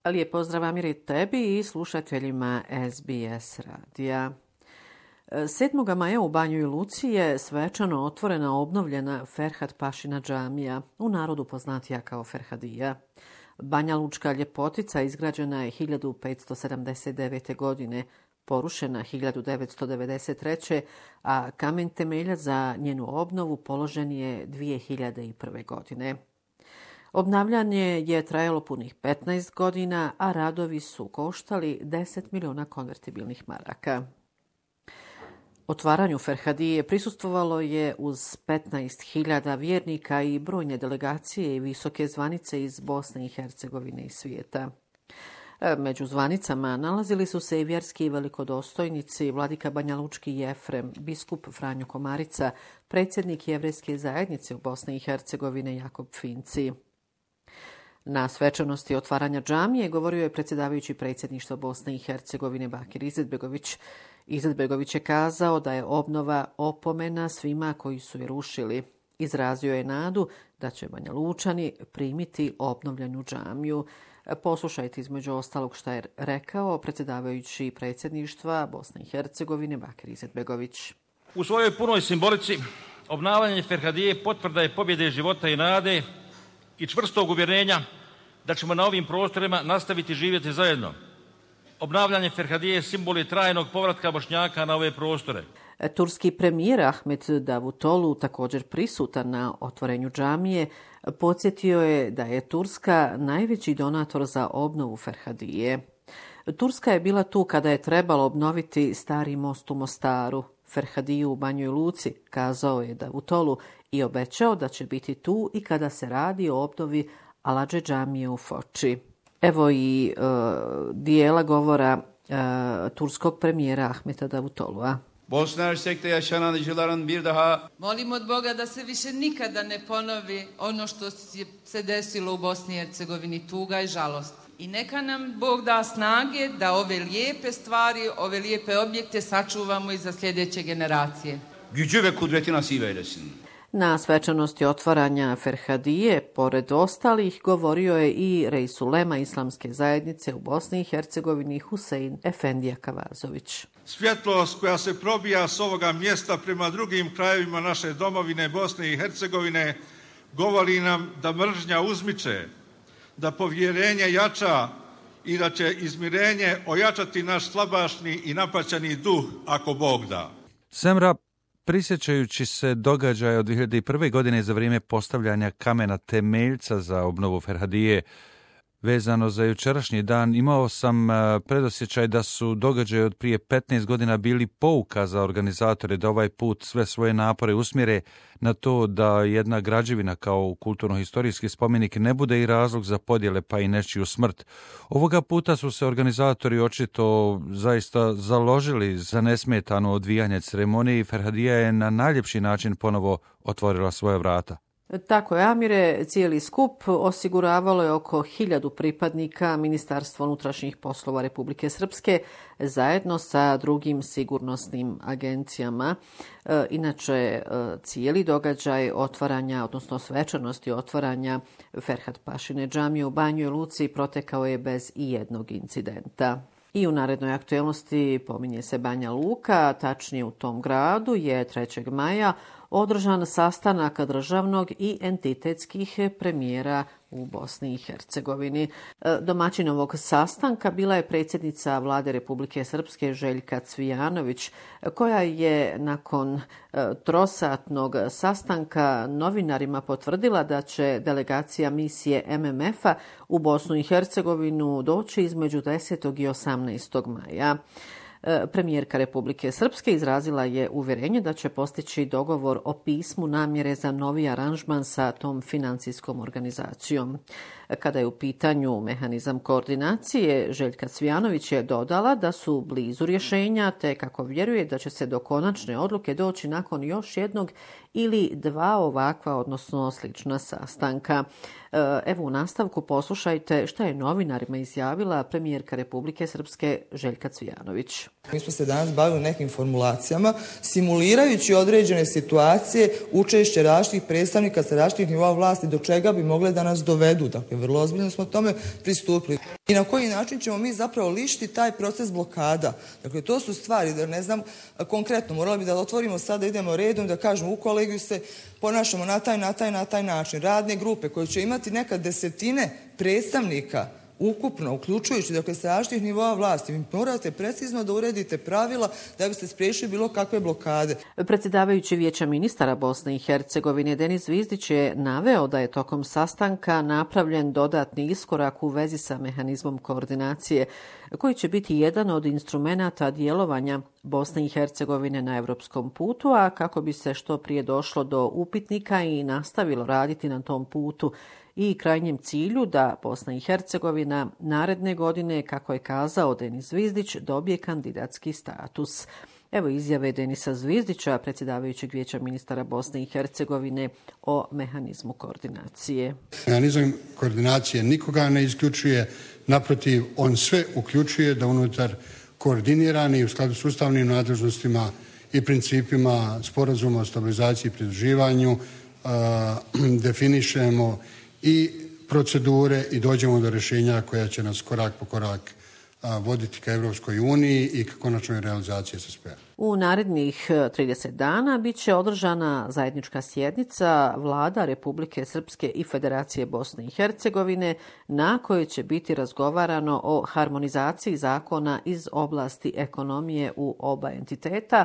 Lijep pozdrav Amiri tebi i slušateljima SBS radija. 7. maja u Banjoj Luci je svečano otvorena obnovljena Ferhat Pašina džamija, u narodu poznatija kao Ferhadija. Banja Lučka ljepotica izgrađena je 1579. godine, porušena 1993. a kamen temelja za njenu obnovu položen je 2001. godine. Obnavljanje je trajalo punih 15 godina, a radovi su koštali 10 miliona konvertibilnih maraka. Otvaranju Ferhadije prisustvovalo je uz 15.000 vjernika i brojne delegacije i visoke zvanice iz Bosne i Hercegovine i svijeta. Među zvanicama nalazili su se i vjerski velikodostojnici, vladika Banjalučki Jefrem, biskup Franjo Komarica, predsjednik Jevrejske zajednice u Bosni i Hercegovine Jakob Finci. Na svečanosti otvaranja džamije govorio je predsjedavajući predsjedništva Bosne i Hercegovine Bakir Izetbegović. Izetbegović je kazao da je obnova opomena svima koji su je rušili. Izrazio je nadu da će Banja Lučani primiti obnovljenu džamiju. Poslušajte između ostalog šta je rekao predsjedavajući predsjedništva Bosne i Hercegovine Bakir Izetbegović. U svojoj punoj simbolici obnavljanje Ferhadije potvrda je pobjede života i nade i čvrstog uvjerenja da ćemo na ovim prostorima nastaviti živjeti zajedno. Obnavljanje Ferhadije simbol je trajnog povratka Bošnjaka na ove prostore. Turski premijer Ahmet Davutoglu, također prisutan na otvorenju džamije, podsjetio je da je Turska najveći donator za obnovu Ferhadije. Turska je bila tu kada je trebalo obnoviti stari most u Mostaru, Ferhadiju u Banjoj Luci, kazao je Davutoglu i obećao da će biti tu i kada se radi o obnovi Aladže džamije u Foči. Evo i dijela govora turskog premijera Ahmeta Davutoglua. Bosna Hersek'te yaşanan acıların bir daha Molim od Boga da se više nikada ne ponovi ono što se desilo u Bosni i Hercegovini, tuga i žalost. I neka nam Bog da snage da ove lijepe stvari, ove lijepe objekte sačuvamo i za sljedeće generacije. gücü ve kudreti nasip eylesin. Na svečanosti otvaranja Ferhadije, pored ostalih, govorio je i rais ulema Islamske zajednice u Bosni i Hercegovini Husein Efendija Kavazović. Svjetlost koja se probija s ovoga mjesta prema drugim krajevima naše domovine Bosne i Hercegovine govori nam da mržnja uzmiče, da povjerenje jača i da će izmirenje ojačati naš slabašni i napaćeni duh ako Bog da. Semra, prisjećajući se događaja od 2001. godine za vrijeme postavljanja kamena temeljca za obnovu Ferhadije, vezano za jučerašnji dan, imao sam predosjećaj da su događaji od prije 15 godina bili pouka za organizatore da ovaj put sve svoje napore usmjere na to da jedna građevina kao kulturno-historijski spomenik ne bude i razlog za podjele pa i nečiju smrt. Ovoga puta su se organizatori očito zaista založili za nesmetano odvijanje ceremonije i Ferhadija je na najljepši način ponovo otvorila svoja vrata. Tako je, Amire, cijeli skup osiguravalo je oko 1000 pripadnika Ministarstva unutrašnjih poslova Republike Srpske zajedno sa drugim sigurnosnim agencijama. Inače, cijeli događaj otvaranja, odnosno svečanosti otvaranja Ferhat Pašine džamije u Banjoj Luci protekao je bez ijednog incidenta. I u narednoj aktualnosti pominje se Banja Luka, tačnije u tom gradu je 3. maja održan sastanak državnog i entitetskih premijera u Bosni i Hercegovini. Domaćin ovog sastanka bila je predsjednica Vlade Republike Srpske Željka Cvijanović, koja je nakon trosatnog sastanka novinarima potvrdila da će delegacija misije MMF-a u Bosnu i Hercegovinu doći između 10. i 18. maja. Premijerka Republike Srpske izrazila je uvjerenje da će postići dogovor o pismu namjere za novi aranžman sa tom financijskom organizacijom. Kada je u pitanju mehanizam koordinacije, Željka Cvijanović je dodala da su blizu rješenja, te kako vjeruje da će se do konačne odluke doći nakon još jednog ili dva ovakva, odnosno slična sastanka. Evo u nastavku poslušajte šta je novinarima izjavila premijerka Republike Srpske Željka Cvijanović. Mi smo se danas bavili nekim formulacijama, simulirajući određene situacije, učešće različitih predstavnika sa različitih nivoa vlasti do čega bi mogle da nas dovedu. Dakle, vrlo ozbiljno smo tome pristupili. I na koji način ćemo mi zapravo lišiti taj proces blokada. Dakle, to su stvari, da ne znam, konkretno, morali bi da otvorimo sada, idemo redom, da kažemo u kolegiju se ponašamo na taj način. Radne grupe koje će imati nekad desetine predstavnika ukupno, uključujući, dakle, sa različitih nivoa vlasti. Vi morate precizno da uredite pravila da biste spriječili bilo kakve blokade. Predsjedavajući Vijeća ministara Bosne i Hercegovine Denis Zvizdić je naveo da je tokom sastanka napravljen dodatni iskorak u vezi sa mehanizmom koordinacije, koji će biti jedan od instrumenata djelovanja Bosne i Hercegovine na europskom putu, a kako bi se što prije došlo do upitnika i nastavilo raditi na tom putu i krajnjem cilju da Bosna i Hercegovina naredne godine, kako je kazao Denis Zvizdić, dobije kandidatski status. Evo izjave Denisa Zvizdića, predsjedavajućeg Vijeća ministara Bosne i Hercegovine o mehanizmu koordinacije. Mehanizam koordinacije nikoga ne isključuje, naprotiv, on sve uključuje da unutar koordinirani u skladu s ustavnim nadležnostima i principima sporazuma o stabilizaciji i pridruživanju definišemo i procedure i dođemo do rješenja koja će nas korak po korak voditi ka Europskoj uniji i ka konačnoj realizaciji SSP-a. U narednih 30 dana bit će održana zajednička sjednica Vlada Republike Srpske i Federacije Bosne i Hercegovine, na kojoj će biti razgovarano o harmonizaciji zakona iz oblasti ekonomije u oba entiteta.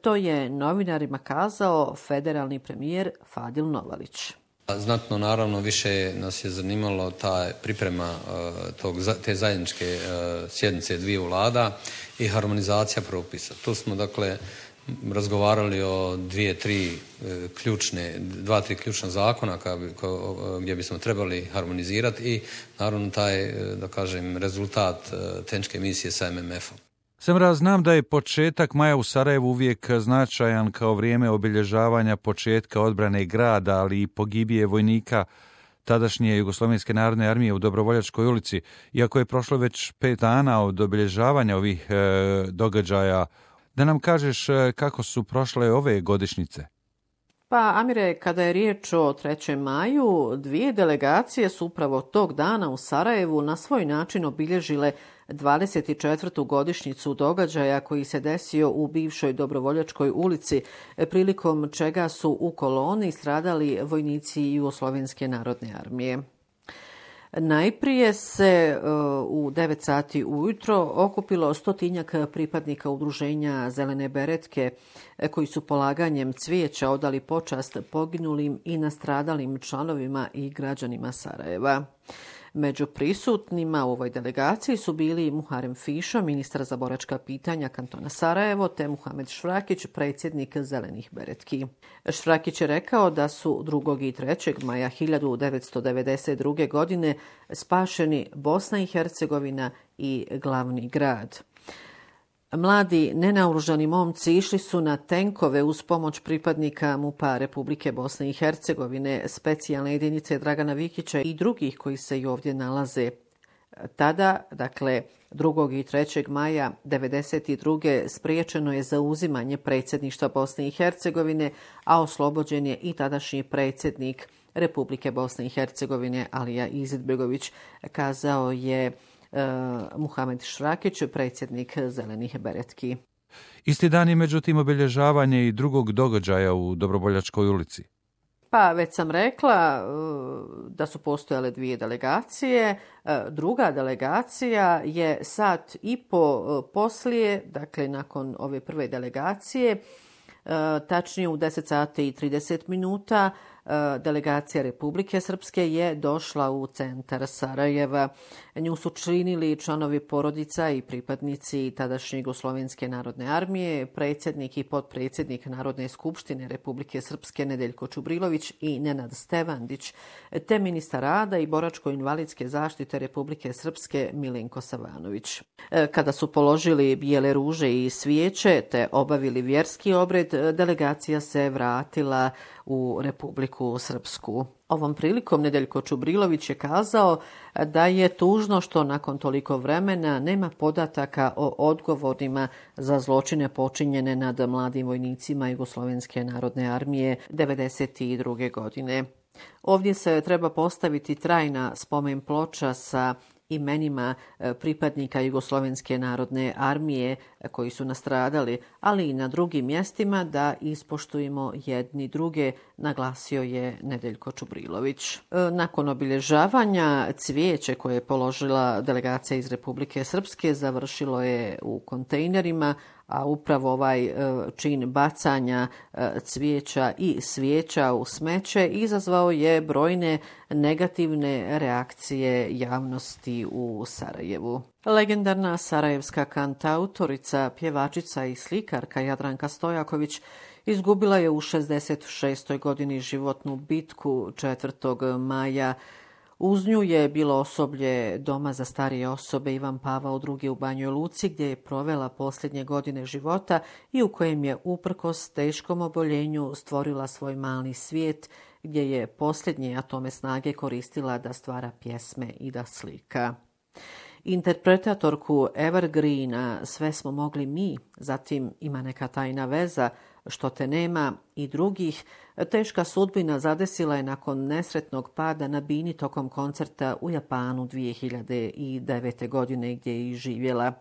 To je novinarima kazao federalni premijer Fadil Novalić. Znatno, naravno, više nas je zanimalo ta priprema te zajedničke sjednice dviju vlada i harmonizacija propisa. Tu smo, dakle, razgovarali o dva, tri ključna zakona gdje bismo trebali harmonizirati i, naravno, taj, da kažem, rezultat tehničke misije sa MMF-om. Semra, znam da je početak maja u Sarajevu uvijek značajan kao vrijeme obilježavanja početka odbrane grada, ali i pogibije vojnika tadašnje Jugoslovenske narodne armije u Dobrovoljačkoj ulici. Iako je prošlo već 5 dana od obilježavanja ovih događaja, da nam kažeš kako su prošle ove godišnjice? Pa, Amire, kada je riječ o 3. maju, dvije delegacije su upravo tog dana u Sarajevu na svoj način obilježile 24. godišnjicu događaja koji se desio u bivšoj Dobrovoljačkoj ulici, prilikom čega su u koloni stradali vojnici Jugoslovenske narodne armije. Najprije se u 9 sati ujutro okupilo 100-tinjak pripadnika udruženja Zelene beretke koji su polaganjem cvijeća odali počast poginulim i nastradalim članovima i građanima Sarajeva. Među prisutnima u ovoj delegaciji su bili Muharem Fišo, ministar za boračka pitanja kantona Sarajevo, te Muhamed Švrakić, predsjednik Zelenih beretki. Švrakić je rekao da su 2. i 3. maja 1992. godine spašeni Bosna i Hercegovina i glavni grad. Mladi nenaoružani momci išli su na tenkove uz pomoć pripadnika MUP-a Republike Bosne i Hercegovine, specijalne jedinice Dragana Vikića i drugih koji se i ovdje nalaze. Tada, dakle 2. i 3. maja 1992. spriječeno je zauzimanje predsjedništva Bosne i Hercegovine, a oslobođen je i tadašnji predsjednik Republike Bosne i Hercegovine Alija Izetbegović, kazao je Muhamed Švrakić, predsjednik Zelenih beretki. Isti dan je međutim obilježavanje i drugog događaja u Dobrovoljačkoj ulici. Pa već sam rekla da su postojale dvije delegacije. Druga delegacija je sat i po poslije, dakle nakon ove prve delegacije, tačnije u 10 sati i 30 minuta, delegacija Republike Srpske je došla u centar Sarajeva. Nju su činili članovi porodica i pripadnici tadašnje Jugoslovenske narodne armije, predsjednik i potpredsjednik Narodne skupštine Republike Srpske Nedeljko Čubrilović i Nenad Stevandić, te ministar rada i boračko-invalidske zaštite Republike Srpske Milenko Savanović. Kada su položili bijele ruže i svijeće te obavili vjerski obred, delegacija se vratila u Republiku Srpsku. Ovom prilikom Nedeljko Čubrilović je kazao da je tužno što nakon toliko vremena nema podataka o odgovorima za zločine počinjene nad mladim vojnicima Jugoslovenske narodne armije 1992. godine. Ovdje se treba postaviti trajna spomen ploča sa imenima pripadnika Jugoslovenske narodne armije koji su nastradali, ali i na drugim mjestima da ispoštujemo jedni druge, naglasio je Nedeljko Čubrilović. Nakon obilježavanja cvijeće koje je položila delegacija iz Republike Srpske završilo je u kontejnerima, a upravo ovaj čin bacanja cvijeća i svijeća u smeće izazvao je brojne negativne reakcije javnosti u Sarajevu. Legendarna sarajevska kantautorica, pjevačica i slikarka Jadranka Stojaković izgubila je u 66. godini životnu bitku 4. maja. Uz nju je bilo osoblje Doma za starije osobe Ivan Pavao II u Banjoj Luci, gdje je provela posljednje godine života i u kojem je uprkos teškom oboljenju stvorila svoj mali svijet, gdje je posljednje atome snage koristila da stvara pjesme i da slika. Interpretatorku Evergreena Sve smo mogli mi, zatim Ima neka tajna veza, Što te nema i drugih, teška sudbina zadesila je nakon nesretnog pada na bini tokom koncerta u Japanu 2009. godine gdje je i živjela.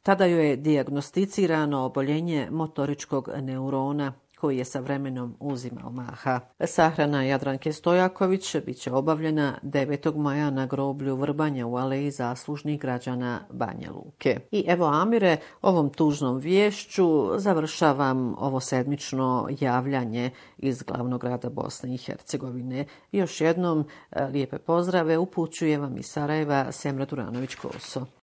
Tada joj je dijagnosticirano oboljenje motoričkog neurona koji je sa vremenom uzimao maha. Sahrana Jadranke Stojaković bit će obavljena 9. maja na groblju Vrbanja u Aleji zaslužnih građana Banja Luke. I evo, Amire, ovom tužnom viješću završavam ovo sedmično javljanje iz glavnog grada Bosne i Hercegovine. Još jednom lijepe pozdrave upućuje vam iz Sarajeva Semra Duranović-Koso.